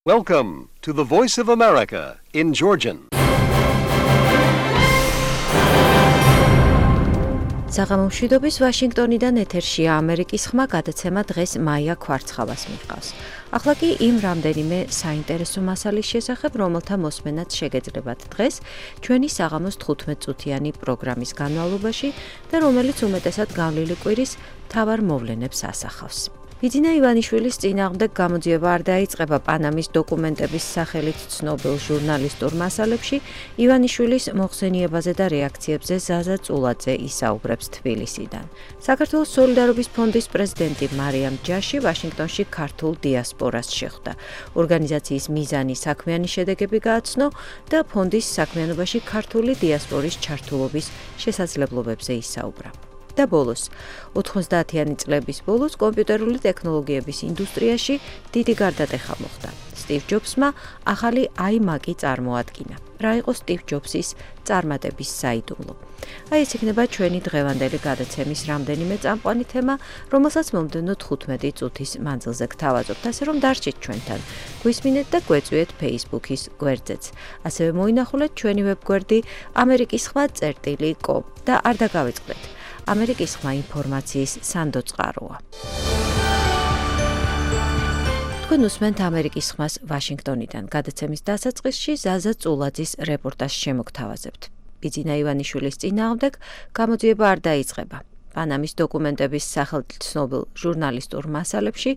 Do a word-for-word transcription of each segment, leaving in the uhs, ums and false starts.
Welcome to the Voice of America in Georgian. საღამომშვიდობის ვაშინგტონიდან ეთერშია ამერიკის ხმა გადაცემა დღეს მაია ქვარცხავას მიჰყავს. ახლა კი იმ რამდენიმე საინტერესო მასალის შესახებ, რომელთა მოსმენაც შეგეძლებათ დღეს ჩვენი საღამოს თხუთმეტ წუთიანი პროგრამის განმავლობაში და რომელიც უმეტესად გავლილი კვირის მთავარ მოვლენებს ასახავს. ბიძინა ივანიშვილის წინააღმდეგ გამოძიება არ დაიწყება პანამის დოკუმენტების სახელით ცნობილ ჟურნალისტურ მასალებში, ივანიშვილის მოხსენიებაზე და რეაქციებზე ზაზა წულაძე ისაუბრებს თბილისიდან. საქართველოს სოლიდარობის ფონდის პრეზიდენტი მარიამ ჯაში ვაშინგტონში ქართულ დიასპორას შეხვდა. ორგანიზაციის მიზანი საქმიანი შედეგები გააცნო და ფონდის საქმიანობაში ქართული დიასპორის ჩართულობის შესაძლებლობებზე ისაუბრა. და ბოლოს, ოთხმოცდაათიანი წლების ბოლოს კომპიუტერული ტექნოლოგიების ინდუსტრიაში დიდი გარდატეხა მოხდა. სტივ ჯობსმა ახალი აიმაკი წარმოადგინა. რა იყო სტივ ჯობსის წარმატების საიდუმლო? აი ეს იქნება ჩვენი დღევანდელი გადაცემის რამდენიმე წამყვანი თემა, რომელსაც მომდევნო თხუთმეტი წუთის მანძილზე გთავაზობთ, ასე რომ დარჩით ჩვენთან. გვისმინეთ და გვეწვიეთ Facebook-ის გვერდზეც. ასევე მოინახულეთ ჩვენი ვებგვერდი ამერიკის ხმა წერტილი კომ და არ დაგავიწყდეთ. ამერიკის ხმა ინფორმაციის სანდო წყაროა. თქვენ უსმენთ ამერიკის ხმას ვაშინგტონიდან. გადაცემის დასაწყისში ზაზა წულაძის რეპორტაჟს შემოგთავაზებთ. ბიძინა ივანიშვილის წინააღმდეგ გამოძიება არ დაიწყება. პანამის დოკუმენტების სახელით ცნობილ ჟურნალისტურ მასალებში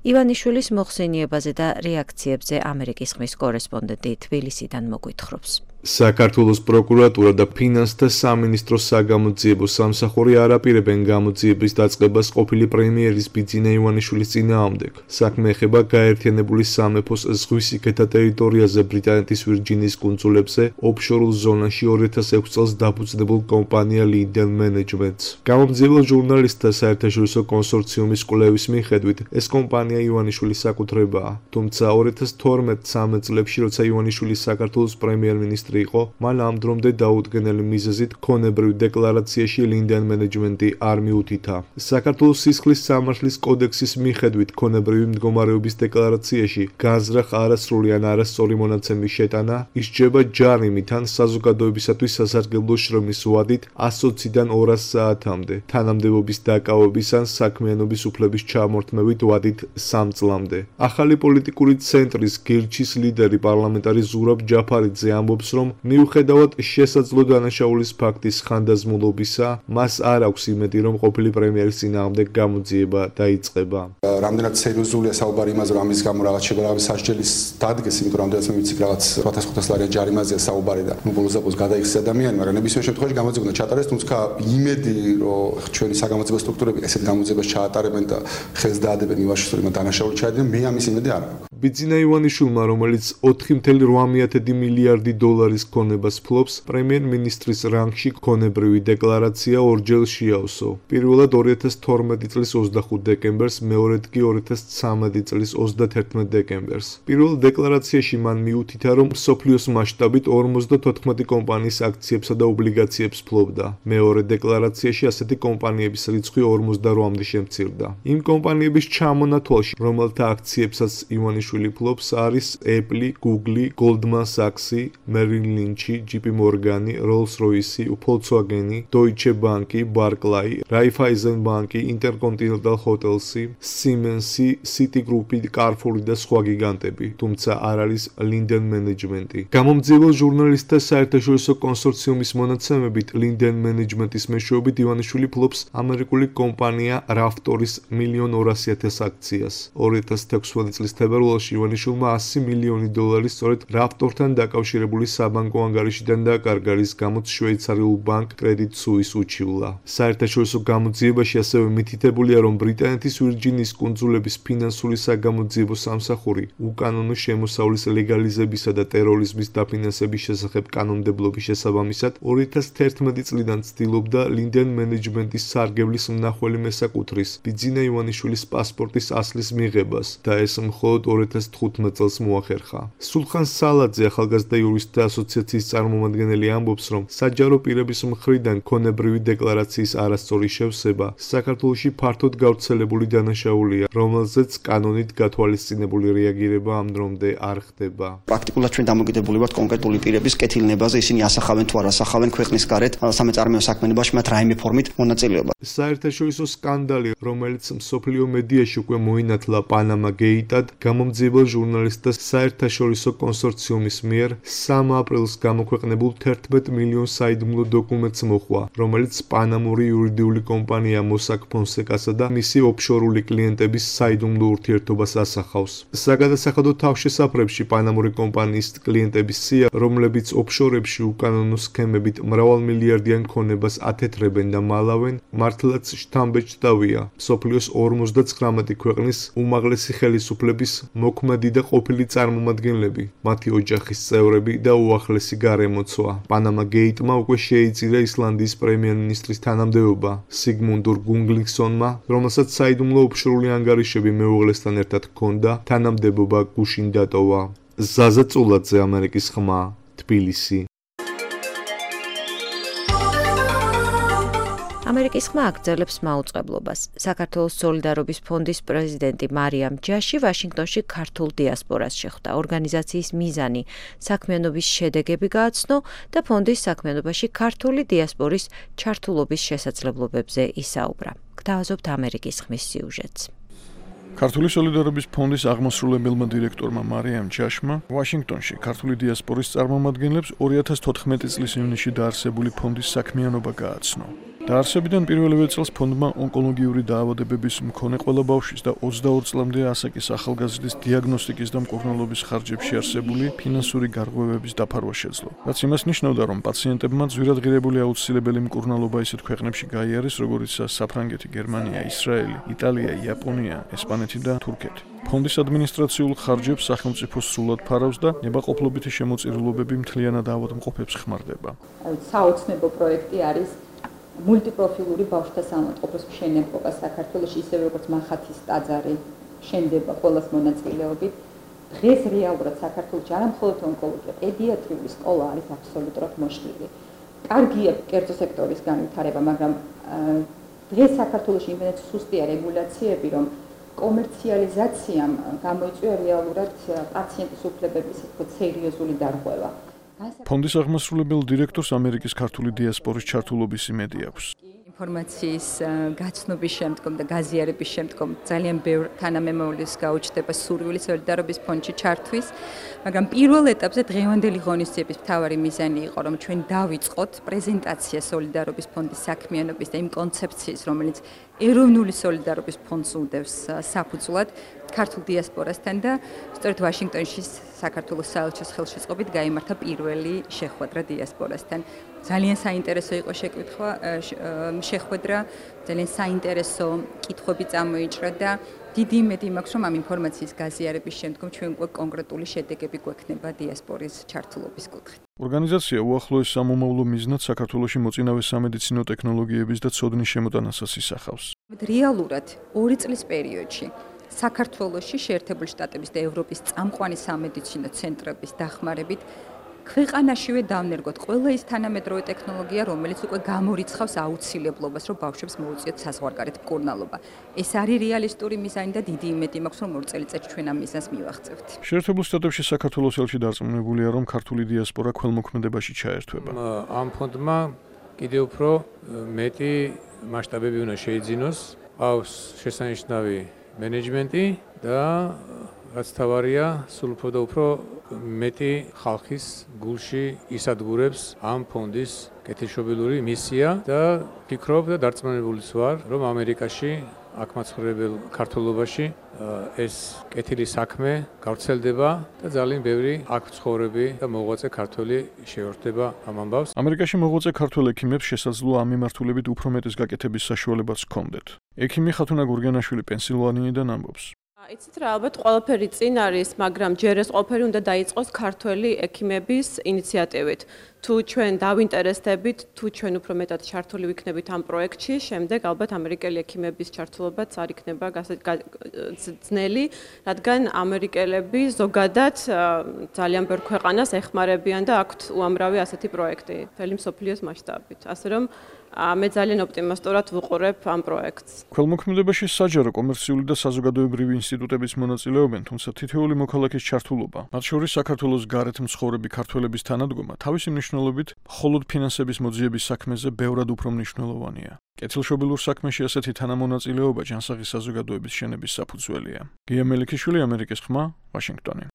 ივანიშვილის მოხსენიებაზე და რეაქციებზე ამერიკის ხმის კორესპონდენტი თბილისიდან მოგვითხრობს. საქართველოს პროკურატურა და ფინანსთა სამინისტროს საგამოძიებო სამსახური არ აპირებენ გამოძიების დაწყებას ყოფილი პრემიერის ბიძინა ივანიშვილის წინააღმდეგ. საქმე ეხება გაერთიანებული სამეფოს ზღვისიქეთა ტერიტორიაზე ბრიტანეთის ვირჯინიის კუნძულებზე ოფშორულ ზონაში ორი ათას ექვსი წელს დაფუძნებულ კომპანია Linden Management-ს. გამომძიებელ ჟურნალისტთა საერთაშორისო კონსორციუმის კვლევის მიხედვით ეს კომპანია ივანიშვილის საკუთრებაა. თუმცა ორი ათას თორმეტ მცამეტ წლებში, როცა ივანიშვილი საქართველოს პრემიერ-მინისტრი იყო, მან ამ დრომდე დაუდგენელი მიზეზით ქონებრივ დეკლარაციაში Linden Management-ი არ მიუთითა. საქართველოს სისხლის სამართლის კოდექსის მიხედვით ქონებრივი მდგომარეობის დეკლარაციაში განზრახ არასრული ან არასწორი მონაცემის შეტანა ისჯება ჯარიმით ან საზოგადოებისათვის სასარგებლო შრომის ვადით ასოციდან ორას საათამდე, თანამდებობის დაკავების ან საქმიანობის უფლების ჩამორთმევით ვადით სამ წლამდე. ახალი პოლიტიკური ცენტრის გირჩის ლიდერი პარლამენტარი ზურაბ ჯაფარიძე ამბობს, რომ მიუხედავად შესაძლო დანაშაულის ფაქტის ხანდაზმულობისა, მას არ აქვს იმედი, რომ ყოფილი პრემიერის წინააღმდეგ გამოძიება დაიწყება. რამდენად სერიოზულია საუბარი იმაზე, რომ ამის გამო რაღაც შეგვიძლია სასჯელის დადგეს, იმიტომ რომ რამდენად მე ვიცი რაღაც ოთხ ათას ლარიან ჯარიმაზეა საუბარი და ნუ ბოლოს დაპოს გადაიხსნა ადამიანი, მაგრამ ნებისმიერ შემთხვევაში გამოძიება უნდა ჩატარდეს, თუმცა იმედი, რომ ჩვენი საგამოძიებო სტრუქტურები ესეთ გამოძიებას ჩაატარებენ და ხელს დაადებენ ივანიშვილმა დანაშაული ჩაედინონ, მე ამის იმედი არ აქვს. ბიძინა ივანიშვილმა, რომელიც ოთხი წუთი ორმოათი მილიარდი დოლარის ქონებას ფლობს, პრემიერ-მინისტრის რანგში ქონებრივი დეკლარაცია ორჯერ შეავსო. პირველად ორი ათას თორმეტი წლის ოცდახუთ დეკემბერს, მეორედ კი ორი ათას ცხრამეტი წლის ოცდათერთმეტ დეკემბერს. პირველ დეკლარაციაში მან მიუთითა, რომ მსოფლიოს მასშტაბით ორმოცდათოთხმეტი კომპანიის აქციებსა და ობლიგაციებს ფლობდა. მეორე დეკლარაციაში ასეთი კომპანიების რიცხვი ორმოცდაოთხამდე შემცირდა. იმ კომპანიების ჩამონათვალში, რომელთა აქციებსაც ივანიშვილი ფლობს, არის Apple, Google, Goldman Sachs, Merrill Lynch, ჯი პი Morgan, Rolls-Royce, Volkswagen, Deutsche Bank, Barclays, Raiffeisen Bank, Intercontinental Hotels, Siemens, Citigroup, Carrefour და სხვა გიგანტები, თუმცა არ არის Linden Management-ი. გამომძიებელ ჟურნალისტთა საერთაშორისო კონსორციუმის მონაცემებით, Linden Management-ის მეშვეობით ივანიშვილი ფლობს ამერიკული კომპანია Raftors მილიონ ორასი ათას აქციას. ორი ათას თექვსმეტი წლის თებერვალში ივანიშვილმა ასი მილიონი დოლარი სწორედ Raftor-თან დაკავშირებული საბანკო ანგარიშიდან დაკარგა, რის გამოც შვეიცარიულ ბანკ Credit Suisse უჩივლა. საერთაშორისო გამოძიებაში ასევე მითითებულია, რომ ბრიტანეთის ვირჯინიის კუნძულების ფინანსური საგამოძიებო სამსახური უკანონო შემოსავლის ლეგალიზებისა და ტერორიზმის დაფინანსების შესახებ კანონმდებლობის შესაბამისად ორი ათას თერთმეტი წლიდან ცდილობდა Linden Management-ის სარგებლის მნახველი მესაკუთრის ბიძინა ივანიშვილის პასპორტის ასლის მიღებას და ეს მხოლოდ ორი ორი ათას თხუთმეტ წელს მოახერხა. სულხან სალაძე, ახალგაზრდა იურისტთა ასოციაციის წარმომადგენელი, ამბობს, რომ საჯარო პირების მხრიდან ქონებრივი დეკლარაციის არასწორი შევსება საქართველოში ფართოდ გავრცელებული დანაშაულია, რომელზეც კანონით გათვალისწინებული რეაგირება ამ დრომდე არ ხდება. პრაქტიკულად ჩვენ დამოკიდებული ვართ კონკრეტული პირების კეთილნებაზე, ისინი ასახავენ თუ არ ასახავენ ქვეყნის გარეთ სამეწარმეო საქმიანობაში მათ რაიმე ფორმით მონაწილეობა. საერთაშორისო სკანდალი, რომელიც მსოფლიო მედიაში უკვე მოინათლა პანამა გეიტად, გამომძიებელ ჟურნალისტთა საერთაშორისო კონსორციუმის მიერ სამი აპრილს გამოქვეყნებულ თერთმეტ მილიონ საიდუმლო დოკუმენტს მოჰყვა, რომელიც პანამური იურიდიული კომპანია Mossack Fonseca-სა და მისი ოფშორული კლიენტების საიდუმლო ურთიერთობას ასახავს. საგადასახადო თავშესაფრებში პანამური კომპანიის კლიენტების სია, რომლებიც ოფშორებში უკანონო სქემებით მრავალმილიარდიან ქონებას ათეთრებენ და მალავენ, მართლაც შთამბეჭდავია. მსოფლიოს ორმოცდაცხრამეტი ქვეყნის უმაღლესი ხელისუფლების მოქმედი და ყოფილი წარმომადგენლები, მათი ოჯახის წევრები და უახლესი გარემოცვა. პანამა გეიტმა უკვე შეიწირა ისლანდიის პრემიერ-მინისტრის თანამდებობა სიგმუნდურ გუნგლინგსონმა, რომელსაც საიდუმლო ოფშორული ანგარიშები მეუღლესთან ერთად ჰქონდა, თანამდებობა გუშინ დატოვა. ზაზა წულაძე, ამერიკის ხმა, თბილისი. ამერიკის ხმა აგრძელებს მაუწყებლობას. საქართველოს სოლიდარობის ფონდის პრეზიდენტი მარიამ ჯაში ვაშინგტონში ქართულ დიასპორას შეხვდა. ორგანიზაციის მიზანი საქმიანობის შედეგები გააცნო და ფონდის საქმიანობაში ქართული დიასპორის ჩართულობის შესაძლებლობებზე ისაუბრა. გთავაზობთ ამერიკის ხმის სიუჟეტს. ქართული სოლიდარობის ფონდის აღმასრულებელმა დირექტორმა მარიამ ჯაშმა ვაშინგტონში ქართული დიასპორის წარმომადგენლებს ორი ათას თოთხმეტი წლის ივნისში დაარსებული ფონდის საქმიანობა გააცნო. დაარსებიდან პირველივე წელს ფონდმა ონკოლოგიური დაავადებების მქონე ყველა ბავშვის და ოცდაორ წლამდე ასაკის ახალგაზრდის დიაგნოსტიკის და მკურნალობის ხარჯებში არსებული ფინანსური გარღვევების დაფარვა შეძლო. რაც იმას ნიშნავდა, რომ პაციენტებმა ძვირადღირებული აუცილებელი მკურნალობა ისეთ ქვეყნებში გაიარეს, როგორიცაა საფრანგეთი, გერმანია, ისრაელი, იტალია, იაპონია, ესპანეთი და თურქეთი. ფონდის ადმინისტრაციულ ხარჯებს სახელმწიფო სრულად ფარავს და ნებაყოფლობითი შემოწირულობები მთლიანად ავადმყოფებს ხმარდება. საოცნებო პროექტი არის მულტიპროფილური ბავშვთა საავადმყოფოს მშენებლობა საქართველოში, ისევე როგორც მახათის ტაძარი შენდება ყოველას მონაწილეობით. დღეს რეალურად საქართველოში არა მხოლოდ ონკოლოგია, პედიატრიული სკოლა არის აბსოლუტურად მოშლილი. კარგია კერძო სექტორის განვითარება, მაგრამ დღეს საქართველოში იმენად სუსტია რეგულაციები, რომ კომერციალიზაციამ გამოიწვია რეალურად პაციენტის უფლებების სერიოზული დარღვევა. ფონდის აღმასრულებელ დირექტორს ამერიკის ქართული დიასპორის ჩართულობის იმედი აქვს. ინფორმაციის გაცნობის შემდგომ და გაზიარების შემდგომ ძალიან ბევრ თანამემამულეს გაუჩნდება სურვილი სოლიდარობის ფონდში ჩართვის, მაგრამ პირველ ეტაპზე დღევანდელი ღონისძიების მთავარი მიზანი იყო, რომ ჩვენ დავიწყოთ პრეზენტაცია სოლიდარობის ფონდის საქმიანობის და იმ კონცეფციის, რომელიც ეროვნული სოლიდარობის ფონდს უდევს საფუძვლად ქართულ დიასპორასთან და სწორედ ვაშინგტონში საქართველოს საელჩოს ხელშეწყობით გაიმართა პირველი შეხვედრა დიასპორასთან. ძალიან საინტერესო იყო შეკითხვა, შეხვედრა, ძალიან საინტერესო კითხვები წამოიჭრა და დიდი იმედი მაქვს, რომ ამ ინფორმაციის გაზიარების შემდგომ ჩვენ უკვე კონკრეტული შედეგები გვექნება დიასპორის ჩართულობის კუთხით. ორგანიზაცია უახლოეს სამომავლო მიზნად საქართველოში მოწინავე სამედიცინო ტექნოლოგიების და ცოდნის შემოტანასაც ისახავს. რეალურად ორი წლის პერიოდში საქართველოში შეერთებული შტატების და ევროპის წამყვანი სამედიცინო ცენტრების დახმარებით ქვეყანაშივე დავნერგოთ ყველა ის თანამედროვე ტექნოლოგია, რომელიც უკვე გამორიცხავს აუცილებლობას, რომ ბავშვებს მოუწიოთ საზღვარგარეთ მკურნალობა. ეს არის რეალისტური მიზანი და დიდი იმედი მაქვს, რომ ორ წელიწადში ჩვენ ამ მიზანს მივაღწევთ. შეერთებულ შტატებში საქართველოს ელჩი დარწმუნებულია, რომ ქართული დიასპორა ქველმოქმედებაში ჩაერთვება. ამ ფონდმა კიდევ უფრო მეტი მასშტაბები უნდა შეიძინოს, ყავს შესანიშნავი მენეჯმენტი და რაც თავარია, სულ უფრო და უფრო მეტი ხალხის გულში ისადგურებს ამ ფონდის კეთილშობილური მისია და ფიქრობ და დარწმუნებულიც ვარ, რომ ამერიკაში აქ მაცხოვრებელ ქართველობაში ეს კეთილი საქმე გავრცელდება და ძალიან ბევრი აქ მცხოვრები და მოღვაწე ქართველი შეერთდება ამ ამბავს. ამერიკაში მოღვაწე ქართველ ექიმებს შესაძლოა ამ მიმართულებით უფრო მეტის გაკეთების საშუალებაც ჰქონდეთ. ექიმი ხათუნა გურგენაშვილი პენსილვანიიდან ამბობს. იცით რა, ალბათ ყველაფერი წინ არის, მაგრამ ჯერ ეს ყველაფერი უნდა დაიწყოს ქართველი ექიმების ინიციატივით. თუ ჩვენ დავინტერესდებით, თუ ჩვენ უფრო მეტად ჩართული ვიქნებით ამ პროექტში, შემდეგ ალბათ ამერიკელი ექიმების ჩართულობაც არ იქნება ძნელი, რადგან ამერიკელები ზოგადად ძალიან ბევრ ქვეყანას ეხმარებიან და აქვთ უამრავი ასეთი პროექტი, მთელი მსოფლიოს მასშტაბით. ასე რომ მე ძალიან ოპტიმისტურად ვუყურებ ამ პროექტს. ქველმოქმედებაში საჯარო, კომერციული და საზოგადოებრივი ინსტიტუტებიც მონაწილეობენ, თუმცა თითოეული მოქალაქის ჩართულობა, მათ შორის საქართველოს გარეთ მცხოვრები ქართველების თანადგომა, თავისი მნიშვნელობით მხოლოდ ფინანსების მოძიების საქმეზე ბევრად უფრო მნიშვნელოვანია. კეთილშობილურ საქმეში ასეთი თანამონაწილეობა ჯანსაღი საზოგადოების შენების საფუძველია. გია მელიქიშვილი, ამერიკის ხმა, ვაშინგტონი.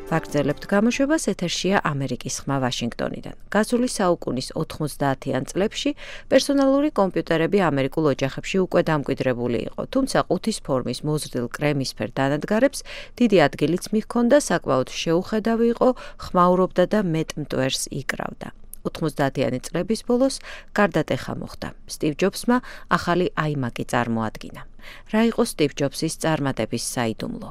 ვაგრძელებთ გამოშვებას, ეთერშია ამერიკის ხმა ვაშინგტონიდან. გასული საუკუნის ოთხმოცდაათიან წლებში პერსონალური კომპიუტერები ამერიკულ ოჯახებში უკვე დამკვიდრებული იყო, თუმცა ყუთის ფორმის მოზრდილ კრემისფერ დანადგარებს დიდი ადგილიც მიჰქონდა, საკმაოდ შეუხედავი იყო, ხმაურობდა და მეტ მტვერს იკრავდა. ოთხმოცდაათიანი წლების ბოლოს გარდატეხა მოხდა. სტივ ჯობსმა ახალი აიმაკი წარმოადგინა. რა იყო სტივ ჯობსის წარმატების საიდუმლო?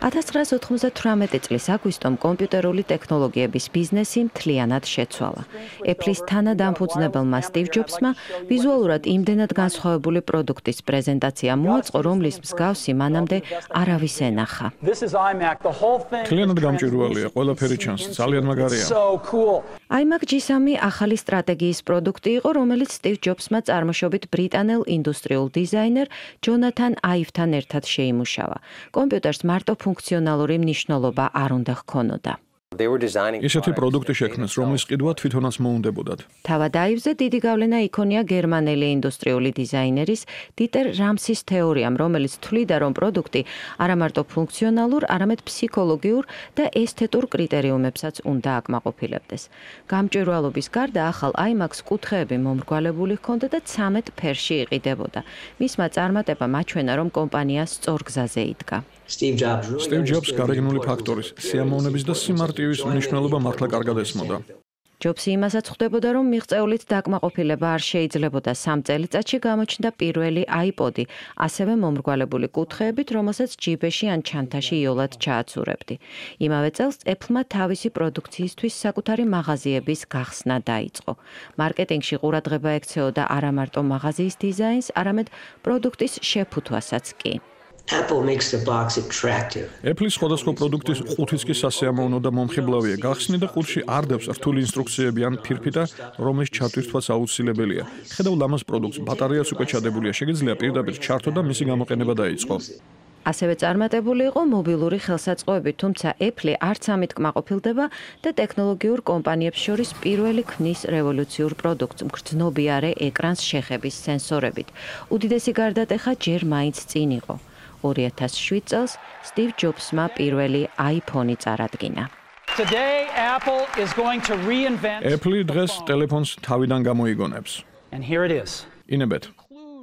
ათას ცხრაასი ოთხმოცდათვრამეტი წლის აგვისტომ კომპიუტერული ტექნოლოგიების ბიზნესი მთლიანად შეცვალა. Apple-ის თანადამფუძნებელმა სტივ ჯობსმა ვიზუალურად იმდენად განსხვავებული პროდუქტის პრეზენტაცია მოაწყო, რომლის მსგავსი მანამდე არავის ენახა. მთლიანად გამჭვირვალეა, ყველაფერი ჩანს, ძალიან მაგარია. iMac ჯი სამი ახალი სტრატეგიის პროდუქტი იყო, რომელიც სტივ ჯობსმა წარმოშობით ბრიტანელ ინდუსტრიულ დიზაინერ ჯონათან აივთან ერთად შეიმუშავა. კომპიუტერს მარტო ფუნქციონალური მნიშვნელობა არ უნდა ჰქონოდა. ისეთი პროდუქტი შექმნეს, რომლის ყიდვა თვითონაც მოუნდებოდათ. თავად აივზე დიდი გავლენა იქონია გერმანელი ინდუსტრიული დიზაინერის დიტერ რამსის თეორიამ, რომელიც თვლიდა, რომ პროდუქტი არა მარტო ფუნქციონალურ, არამედ ფსიქოლოგიურ და ესთეტურ კრიტერიუმებსაც უნდა აკმაყოფილებდეს. გამჭვირვალობის გარდა ახალ iMac-ს კუთხეები მომრგვალებული ჰქონდა და ცამეტ ფერში იყიდებოდა. მისმა წარმატებამ აჩვენა, რომ კომპანია სწორ გზაზე იდგა. სტივ ჯობსს გარეგნული ფაქტორის, სიამოვნების და სიმარტივის მნიშვნელობა მართლა კარგად ესმოდა. ჯობსი იმასაც ხვდებოდა, რომ მიღწეულით დაკმაყოფილება არ შეიძლებოდა. სამ წელიწადში გამოჩნდა პირველი iPod-ი, ასევე მომრგვალებული კუთხეებით, რომელსაც ჯიბეში ან ჩანთაში იოლად ჩააცურებდი. იმავე წელს Apple-მა თავისი პროდუქციისთვის საკუთარი მაღაზიების გახსნა დაიწყო. მარკეტინგში ყურადღება ექცეოდა არა მარტო მაღაზიის დიზაინს, არამედ პროდუქტის შეფუთვასაც კი. Apple makes the box attractive. Apple-ის სხვადასხვა პროდუქტის ყუთიც კი სასიამოვნო და მომხიბლავია. გახსნი და ყუთში არ დევს რთული ინსტრუქციები ან ფირფიტა, რომლის ჩატვირთვაც აუცილებელია. ხედავ ლამაზ პროდუქტს, ბატარეაც უკვე ჩადებულია, შეგიძლია პირდაპირ ჩართო და მისი გამოყენება დაიწყო. ასევე წარმატებული იყო მობილური ხელსაწყოები, თუმცა Apple არც ამით კმაყოფილდება და ტექნოლოგიურ კომპანიებს შორის პირველი ქმნის რევოლუციურ პროდუქტს მგრძნობიარე ეკრანს შეხების სენსორებით. უდიდესი გარდატეხა ჯერ მაინც წინ იყო. ორი ათას შვიდ წელს სტივ ჯობსმა პირველი iPhone-ი წარადგინა. Apple დღეს ტელეფონს თავიდან გამოიგონებს. ინებეთ.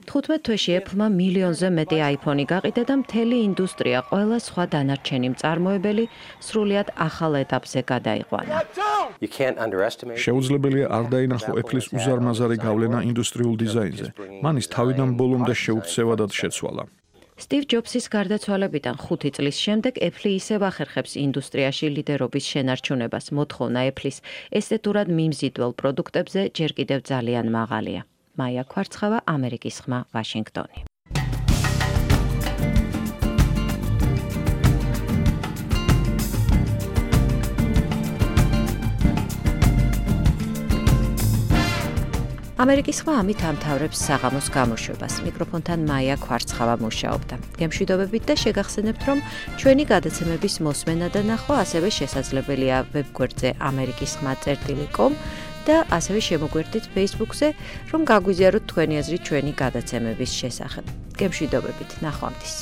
თხუთმეტ თვეში Apple-მა მილიონზე მეტი iPhone-ი გაყიდა და მთელი ინდუსტრია, ყველა სხვა დანარჩენი მწარმოებელი სრულიად ახალ ეტაპზე გადაიყვანა. შეუძლებელია არ დაინახო Apple-ის უზარმაზარი გავლენა ინდუსტრიულ დიზაინზე. მან ის თავიდან ბოლომდე შეუქცევადად შეცვალა. სტივ ჯობსის გარდაცვალებიდან ხუთი წლის შემდეგ Apple ისევ ახერხებს ინდუსტრიაში ლიდერობის შენარჩუნებას. მოთხოვნა Apple-ის ესთეტურად მიმზიდველ პროდუქტებზე ჯერ კიდევ ძალიან მაღალია. მაია ქვარცხავა, ამერიკის ხმა, ვაშინგტონი. ამერიკის ხმა ამით ამთავრებს საღამოს გამოშვებას. მიკროფონთან მაია ქვარცხავა მუშაობდა. გემშვიდობებით და შეგახსენებთ, რომ ჩვენი გადაცემების მოსმენა და ნახვა ასევე შესაძლებელია ვებგვერდზე ამერიკის ხმა წერტილი კომ და ასევე შემოგვერთით Facebook-ზე, რომ გაგვიზიაროთ თქვენი აზრი ჩვენი გადაცემების შესახებ. გემშვიდობებით, ნახვამდის.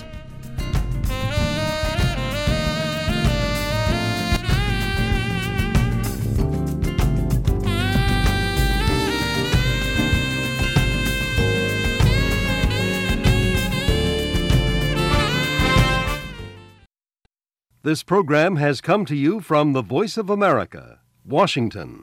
This program has come to you from the Voice of America, Washington.